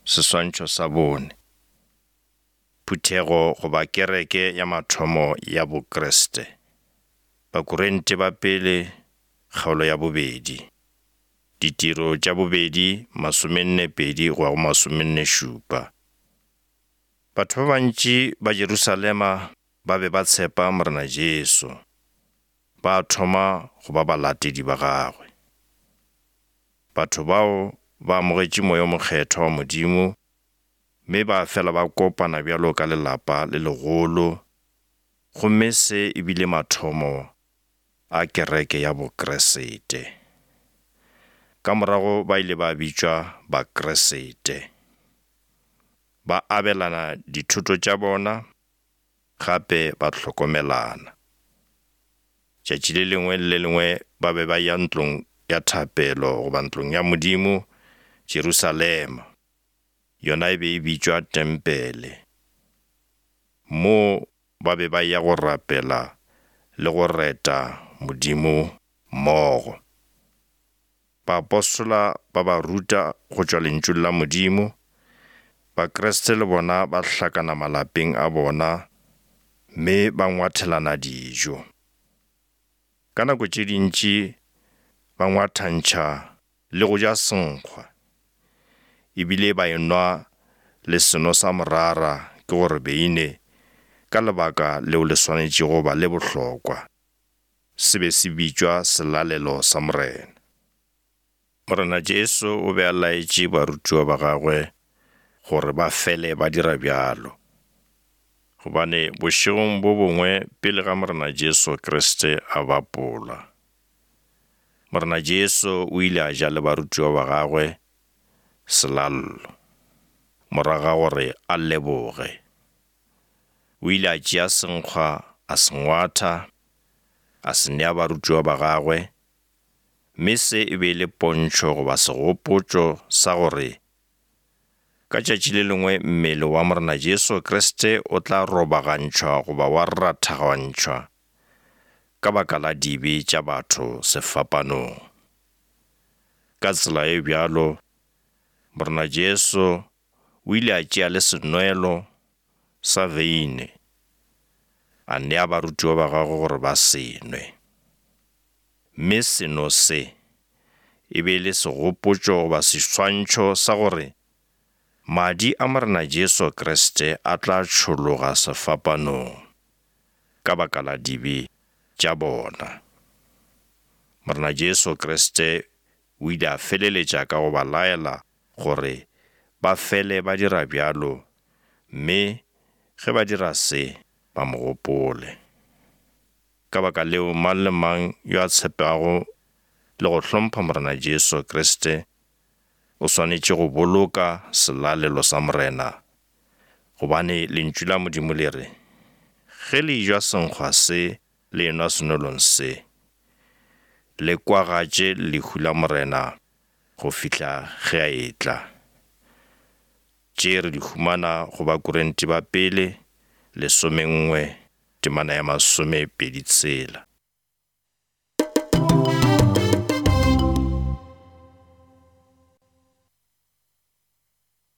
Seswantšho sa bone. Phuthego goba kereke ya mathomo ya Bokriste. Bakorinte ba pele, kgaolo ya bobedi. Ditiro tša bobedi, masomennepedi go ya go masomennešupa. Batho ba bantši ba Jerusalema ba be ba tshepa Morena Jesu, ba thoma go ba balatedi ba gagwe. Batho bao ba amogetše Moya o Mokgethwa wa Modimo mme ba fela ba kopana bjalo ka lelapa le legolo, gomme se e bile mathomo a kereke ya Bokriste. Ka morago ba ile ba bitšwa Bakriste. Ba abelana dithoto tša bona, gape ba hlokomelana. Tšatši le lengwe le le lengwe ba be ba ya ntlong ya thapelo goba ntlong ya Modimo Jerusalema. Yona e be e bitšwa tempele. Moo ba be ba ya go rapela le go reta Modimo mmogo. Baapostola ba ba ruta go tšwa Lentšung la Modimo, Bakriste le bona ba hlakana malapeng a bona mme ba ngwathelana dijo. Ka nako tše dintši ba ngwathantšha le go ja senkgwa, e bile ba enwa le seno sa morara, ke gore beine, ka lebaka leo le swanetšego ba le bohlokwa. Se be se bitšwa Selalelo sa Morena. Morena Jesu o be a laetše barutiwa ba gagwe gore ba fele ba dira bjalo. Gobane bošegong bo bongwe pele ga Morena Jesu Kriste a bapolwa, Morena Jesu o ile a ja le barutiwa ba gagwe selallo, morago ga gore a leboge. O ile a tšea senkgwa a se ngwatha, a se nea barutiwa ba gagwe, mme se e be e le pontšho goba segopotšo sa gore ka tšatši le lengwe mmele wa Morena Jesu Kriste o tla robagantšhwa goba wa rathagantšhwa ka baka la dibe tša batho sefapanong. Ka tsela e bjalo, Morena Jesu o ile a tšea le senwelo sa veine, a nea barutiwa ba gagwe gore ba se nwe. Mme seno se e be e le segopotšo goba seswantšho sa gore madi a Morena Jesu Kriste a tla tšhologa sefapanong ka baka la dibe tša bona. Morena Jesu Kriste o ile a feleletša ka go ba laela gore ba fele ba dira bjalo mme ge ba dira se ba mo gopole. Ka baka leo mang le mang yo a tshepago le go hlompha Morena Jesu Kriste o swanetše go boloka selalelo sa Morena, gobane Lentšu la Modimo le re, Ge le eja senkgwa se le enwa senwelong se, le kwagatše lehu la Morena go fihla ge a etla. Tše re di humana go Bakorinte ba pele, lesomenngwe, temana ya masomepeditshela.